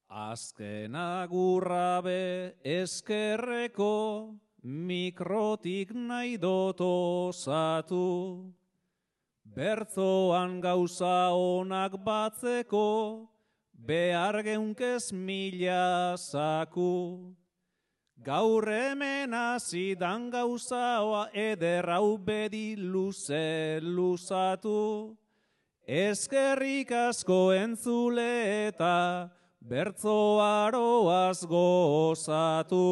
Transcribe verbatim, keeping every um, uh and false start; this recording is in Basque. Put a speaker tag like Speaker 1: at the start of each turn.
Speaker 1: Azken agurra be eskerreko, mikrotik nahi dut osatu. Bertzoan gauza onak batzeko, behar geunkez mila zaku. Gaur hemen azidan gauzaoa eder hau bedi luze luzatu. Eskerrik asko entzule eta bertzoaroaz gozatu.